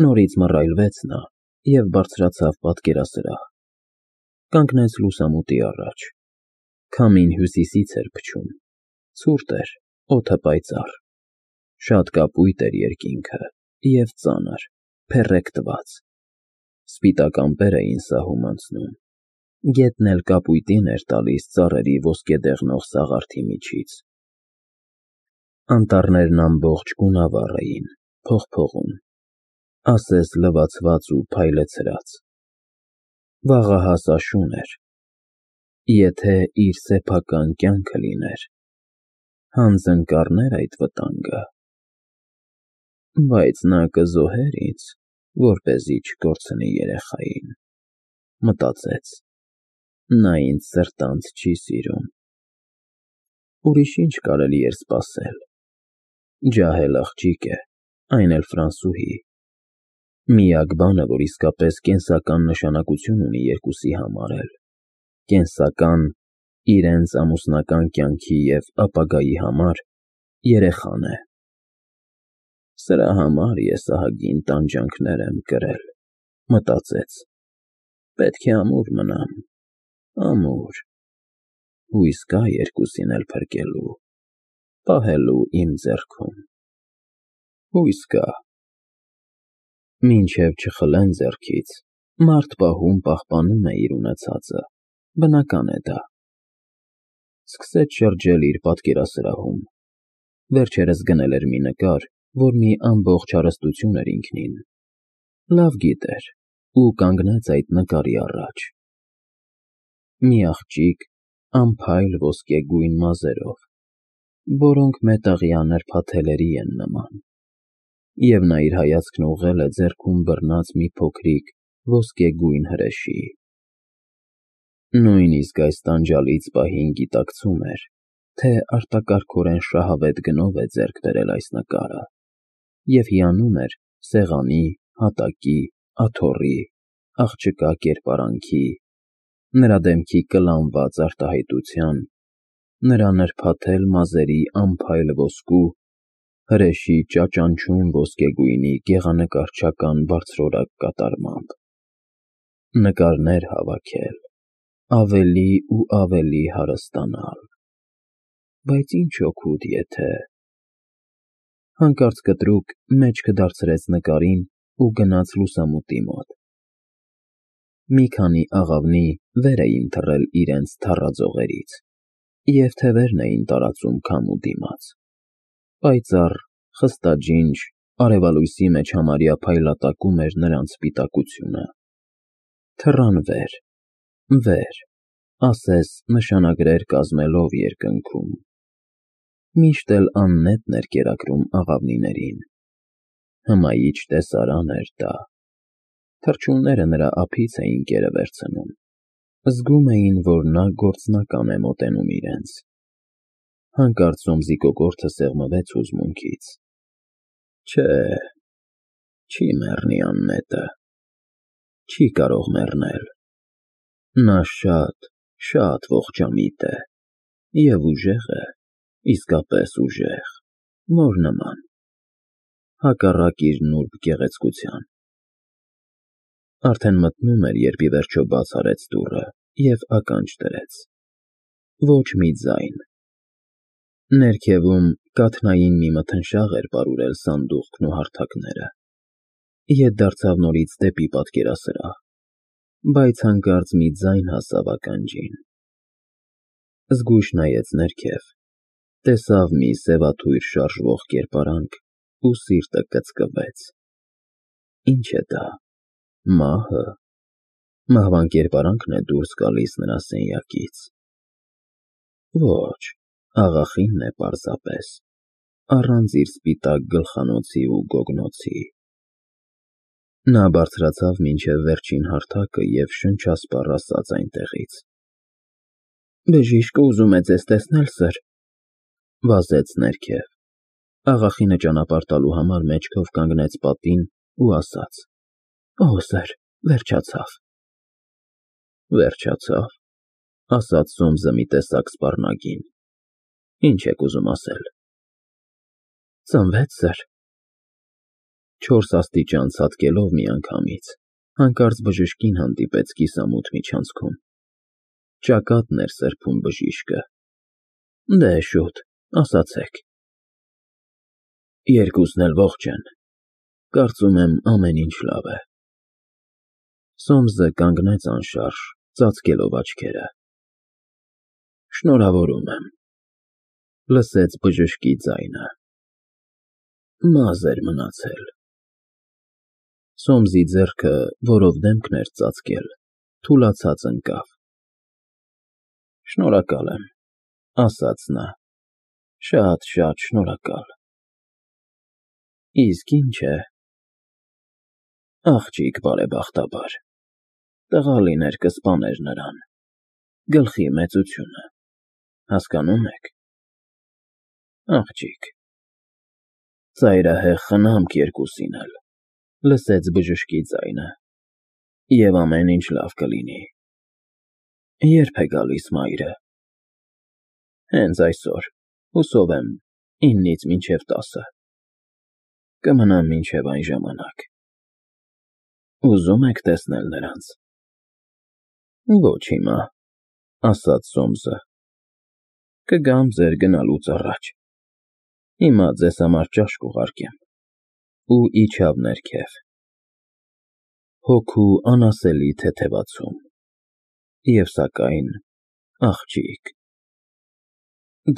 Նորից մռայլվեց նա և բարձրացավ պատկերասրահ, կանգնեց լուսամուտի առաջ, քամին հյուսիսից էր փչում, ցուրտ էր, օդը պայծառ, շատ կապույտ էր երկինքը և ծանր, փեռեք տված, սպիտակ ամպեր էին սահում անցնում, գետն էլ կապույտին էր տալիս ծառերի ոսկեդեղնող սաղարթի միջից, անտառներն ամբողջ գունավառ էին, փողփողում, ասես լվացված ու փայլեցրած, վաղահաս աշուն էր, եթե իր սեփական կյանքը լիներ, հանձն կառներ այդ վտանգը, բայց նա կզոհեր ինձ, որպեսզի չկորցնի երեխային, մտածեց, նա ինձ սրտանց չի սիրում, ուրիշ ինչ կարելի էր սպասել, ջահել աղջիկ է, այն էլ ֆրանսուհի, միակ բանը, որ իսկապես կենսական նշանակություն ունի երկուսի համար էլ, կենսական իրենց ամուսնական կյանքի և ապագայի համար երեխան է, սրա համար ես ահագին տանջանքներ եմ կրել, մտածեց, պետք է ամուր մնամ, ամուր, հույս կա երկուսին էլ փրկելու, պահելու իմ ձեռքում, հույս կա, մինչև չխլեն ձեռքից, մարդ պահում պահպանում է իր ունեցածը, բնական է դա, սկսեց շրջել իր պատկերասրահում, վերջերս գնել էր մի նկար, որ մի ամբողջ հարստություն էր ինքնին, լավ գիտեր ու կանգնեց այդ նկարի առաջ, մի աղջիկ անփայլ ոսկեգույն մազերով, որոնք մետաղյա նրբաթելերի են նման, և նա իր հայացքն ուղղել է ձեռքում բռնած մի փոքրիկ ոսկեգույն հրեշի, նույնիսկ այս տանջալից պահին գիտակցում էր, թե արտակարգորեն շահավետ գնով է ձեռք բերել այս նկարը և հիանում էր սեղանի, հատակի, աթոռի, աղջկա կերպարանքի, նրա դեմքի կլանված արտահայտության, նրա նրբաթել մազերի անփայլ ոսկու, հրեշի ճաճանչում ոսկեգույնի գեղանկարչական բարձրորակ կատարմամբ, նկարներ հավաքել, ավելի ու ավելի հարստանալ, բայց ինչ օգուտ եթե… Հանկարծ կտրուկ մեջքը դարձրեց նկարին ու գնաց լուսամուտի մոտ, մի քանի աղավնի վեր էին թռել իրենց թառաձողերից և թևերն էին տարածում քամու դիմաց, պայծառ, խստաջինջ, արևալույսի մեջ համարյա փայլատակում էր նրանց սպիտակությունը, թռան վեր, ասես նշանագրեր կազմելով երկնքում, միշտ էլ աննետն էր կերակրում աղավնիներին, հմայիչ տեսարան էր դա, թռչունները նրա ափից էին կերը վերցնում, զգում էին, որ նա գործնական է մոտենում իրենց, հանկարծ Սոմսի կոկորդը սեղմվեց հուզմունքից, չէ, չի մեռնի աննետը, չի կարող մեռնել, նա շատ ողջամիտ է և ուժեղ է, իսկապես ուժեղ, որ նման, հակառակ իր նուրբ գեղեցկության, արդեն մտնում էր, երբ ի վերջո բաց արեց դուռը և ականջ դրեց, ոչ մի ձայն, ներքևում կաթնային մի մթնշաղ էր պարուրել սանդուղքն ու հարթակները, ետ դարձավ նորից դեպի պատկերասրահ, բայց հանկարծ մի ձայն հասավ ականջին, զգույշ նայեց ներքև, տեսավ մի սևաթույր շարժվող կերպարանք ու սիրտը կծկվեց, ինչ է դա, մահը, մահվան կերպարանքն է դուրս գալիս նրա սենյակից, ոչ, աղախինն է պարզապես, առանց իր սպիտակ գլխանոցի ու գոգնոցի, նա բարձրացավ մինչև վերջին հարթակը և շնչասպառ ասաց այնտեղից. բժիշկը ուզում է ձեզ տեսնել, սըր, վազեց ներքև, աղախինը ճանապարհ տալու համար մեջքով կանգնեց պատին ու ասաց. օհ, սըր, վերջացավ, ասաց Սոմսը մի տեսակ սպառնագին, ինչ եք ուզում ասել, ծնվեց, սըր, 4 աստիճան ցատկելով միանգամից, հանկարծ բժշկին հանդիպեց կիսամութ միջանցքում։ Ճակատն էր սրբում բժիշկը։ Դե շուտ, ասացեք։ Երկուսն էլ ողջ են։ Կարծում եմ ամեն ինչ լավ է։ Սոմսը կանգնեց անշարժ, ծածկելով աչքերը։ Շնորհավորում եմ, լսեց բժշկի ձայնը։ Մազ էր մնացել։ Սոմսի ձեռքը, որով դեմքն էր ծածկել, թուլացած ընկավ։ Շնորհակալ եմ, ասաց նա։ Շատ շնորհակալ։ Իսկ ինչ է։ Աղջիկ բարեբախտաբար։ Տղա լիներ կսպաներ նրան։ Գլխի մեծությունը։ Հասկանում եք։ Աղջիկ։ Ծայրահեղ խնամք երկուսին էլ, լսեց բժշկի ձայնը։ Եվ ամեն ինչ լավ կլինի։ Երբ է գալիս մայրը։ Հենց այսօր, հուսով եմ, 9-ից մինչև 10։ Կմնամ մինչև այն ժամանակ։ Ուզում եք տեսնել նրանց։ Ոչ հիմա, ասաց Սոմսը։ Կգամ ձեր գնալուց առաջ։ Հիմա ձեզ համար ճաշ կուղարկեմ։ Ու իջավ ներքև։ Հոգու անասելի թեթևացում։ Եվ սակայն, աղջիկ։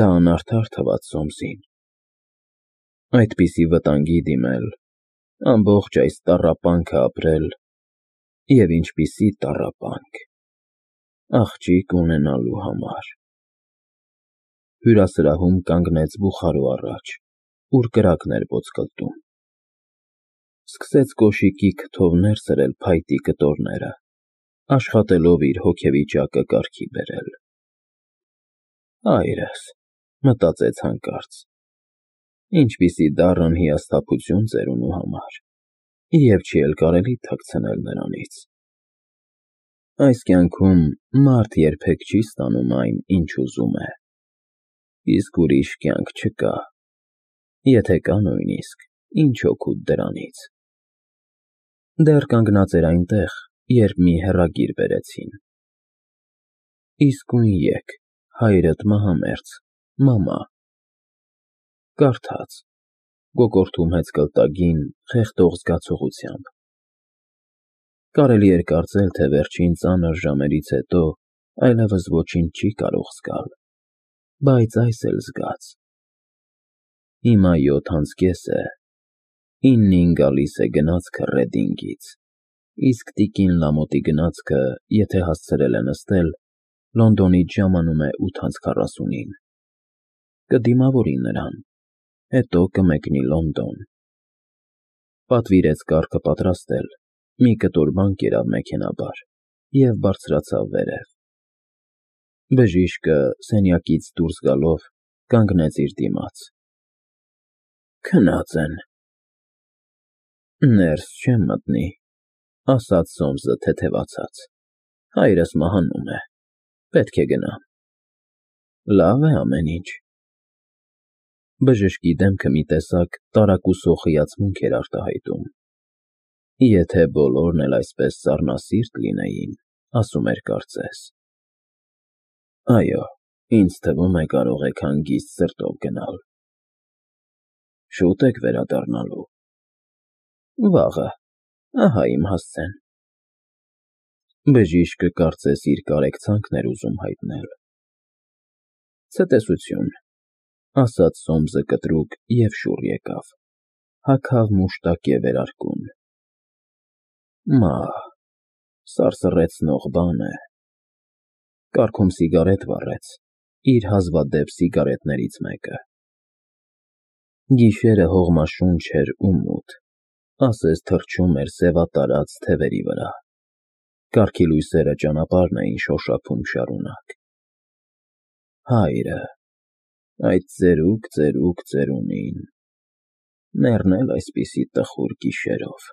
Դա անարդար թվաց Սոմսին։ Այդպիսի վտանգի դիմել, ամբողջ այս տառապանքը ապրել, և ինչպիսի տառապանք, աղջիկ ունենալու համար։ Հյուրասրահում կանգնեց բուխարու առաջ, ուր կրակն էր ոսկլտում։ Սկսեց կոշիկի քթով սրել փայտի կտորները, աշխատելով իր հոգեվիճակը կարգի բերել։ Հայրս, մտածեց հանկարծ, ինչպիսի դառն հիասթափություն ծերունու համար, և չի էլ կարելի թաքցնել նրանից։ Այս կյանքում մարդ երբեք չի ստանում այն, ինչ ուզում է, իսկ ուրիշ կյանք չկա, եթե կա նույնիսկ, ինչ օգուտ դրանից։ Դեռ կանգնած էր այնտեղ, երբ մի հեռագիր բերեցին։ Իսկույն եկ, հայրդ մահամերձ, մամա։ Կարդաց, կոկորդում հեծկլտագին, խեղդող զգացողությամբ։ Կարելի էր կարծել, թե վերջին ծանր ժամերից հետո այլևս ոչինչ չի կարող զգալ, բայց այս էլ զգաց։ Հիմա 7:30 է, 9-ին գալիս է գնացքը Ռեդինգից, իսկ տիկին Լամոթի գնացքը, եթե հասցրել է նստել, Լոնդոնից ժամանում է 8:40-ին։ Կդիմավորի նրան, հետո կմեկնի Լոնդոն։ Պատվիրեց կառքը պատրաստել, մի կտոր բան կերավ մեքենաբար և բարձրացավ վերև։ Բժիշկը, սենյակից դուրս գալով, կանգնեց իր դիմաց։ Քնած են։ Ներս չեմ մտնի, ասաց Սոմսը թեթևացած։ Հայրս մահանում է, պետք է գնամ։ Լավ է ամեն ինչ։ Բժշկի դեմքը մի տեսակ տարակուսող հիացմունք էր արտահայտում։ Եթե բոլորն էլ այսպես սառնասիրտ լինեին, ասում էր կարծես։ Այո, ինձ թվում է կարող եք հանգիստ սրտով գնալ։ Շուտ եք վերադառնալու։ Վաղը, ահա իմ հասցեն։ Բժիշկը կարծես իր կարեկցանքն էր ուզում հայտնել։ Ցտեսություն, ասաց Սոմսը կտրուկ և շուռ եկավ, հագավ մուշտակ և վերարկուն։ Մահ, սարսռեցնող բան է։ Կառքում սիգարետ վառեց, իր հազվադեպ սիգարետներից մեկը։ Գիշերը հողմաշունչ էր ու մութ, ասես թռչում էր սևատարած թևերի վրա։ Կառքի լույսերը ճանապարհն էին շոշափում շարունակ։ Հայրը, այդ ծերուկ ծերունին, մեռնել այսպիսի տխուր գիշերով։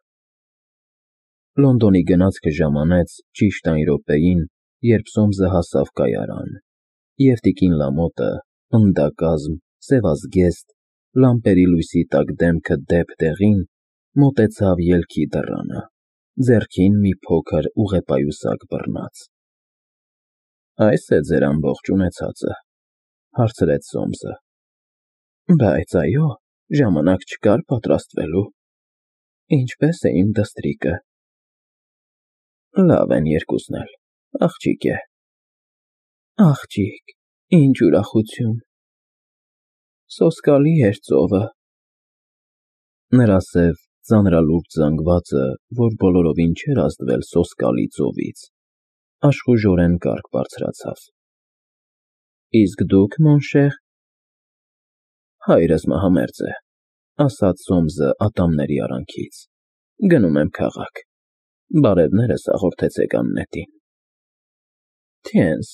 Լոնդոնի գնացքը ժամանեց ճիշտ այն րոպեին, երբ Սոմսը հասավ կայարան, և տիկին Լամոթը, պնդակազմ, սևազգեստ, լամպերի լույսի տակ դեմքը դեպ դեղին, մոտեցավ ելքի դռանը, ձեռքին մի փոքր ուղեպայուսակ բռնած։ Այս է ձեր ամբողջ ունեցածը, հարցրեց Սոմսը։ Բայց այո, ժամանակ չկար պատրաստվելու։ Ինչպես է իմ դստրիկը։ Լավ են երկուսն էլ, աղջիկ է։ Աղջիկ, ինչ ուրախություն։ Սոսկալի էր ծովը։ Նրա սև ծանրալուրջ զանգվածը, որ բոլորովին չէր ազդվել սոսկալի ծովից, աշխուժորեն կառք բարձրացավ։ Իսկ դուք, մոնշեր։ Հայրս մահամերձ է, ասաց Սոմսը ատամների արանքից։ Գնում եմ քաղաք։ Բարևներս հաղորդեցեք Աննետին։ Թենս,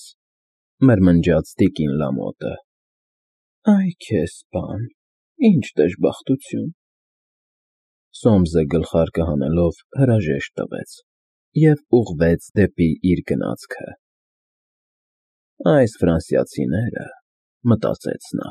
մրմնջաց տիկին Լամոտը։ Այ քեզ բան, ինչ դժբախտություն։ Սոմսը գլխարկը հանելով հրաժեշտ տվեց և ուղղվեց դեպի իր գնացքը։ Այս ֆրանսիացիները, մտածեց նա,